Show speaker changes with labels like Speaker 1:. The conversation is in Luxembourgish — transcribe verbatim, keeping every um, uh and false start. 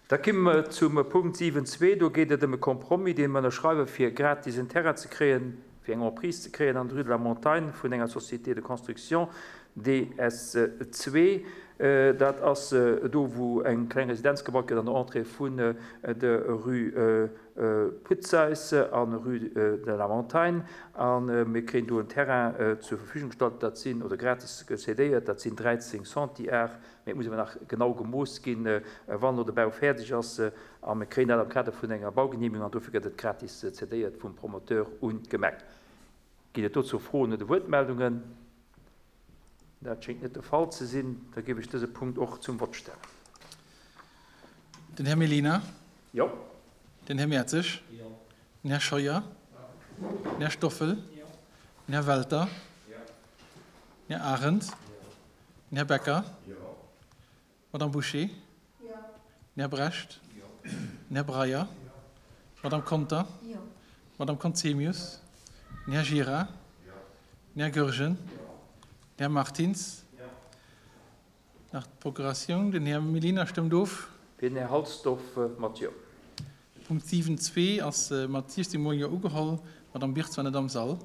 Speaker 1: Da komme mer zum Punkt siwen zwee. Do geet et ëm e Compromis, dee mer ënnerschreiwen, fir gratis en Terrain ze kréien, fir eng Emprise ze kréien an der Rue de la Montagne vun enger Société de construction D S zwee. Dat ass do, wou eng kleng Residenz gebaut gëtt an der Entrée vun der Rue Putzeys an Rue de la Montagne. A mir kréien do en Terrain zur Verfügung gestallt, dat sinn, oder gratis cédéiert, dat sinn dräizéng Centiar. Mee et muss awer nach genau gemooss ginn, wann elo de Bau fäerdeg ass. A mir kréien dat am Kader vun enger Baugenehmigung an dofir gëtt et gratis cédéiert vum Promoteur un d'Gemeng. Ginn et dozou Froen oder Wuertmeldungen? Dat schéngt net de Fall ze sinn. Da géif ech dëse Punkt och zum Vott stellen.
Speaker 2: Den Här Mellina?
Speaker 1: Jo.
Speaker 2: Den Här Mertzig?
Speaker 1: Jo.
Speaker 2: Den Här Scheuer?
Speaker 1: Jo.
Speaker 2: Den Här Stoffel?
Speaker 1: Jo.
Speaker 2: Den Här Welter?
Speaker 1: Jo.
Speaker 2: Den Här Arendt?
Speaker 1: Jo.
Speaker 2: Den Här Becker?
Speaker 1: Jo.
Speaker 2: Madame Bouché?
Speaker 3: Jo.
Speaker 2: Den Här Brecht?
Speaker 1: Jo.
Speaker 2: Den Här Breyer?
Speaker 1: Jo.
Speaker 2: Madame Conter?
Speaker 3: Jo.
Speaker 2: Madame Conzemius? Den Här Gira?
Speaker 1: Jo.
Speaker 2: Den Här Goergen?
Speaker 1: Jo.
Speaker 2: Den Här Martins?
Speaker 1: Jo.
Speaker 2: Nach d'Procuratioun. Den Här Mellina stëmmt of.
Speaker 1: Den Här Halsdorf mat Jo.
Speaker 2: Punkt siwen zwee ass mat siechzéng Mol Jo ugeholl. D'Madame Birtz war net am Sall.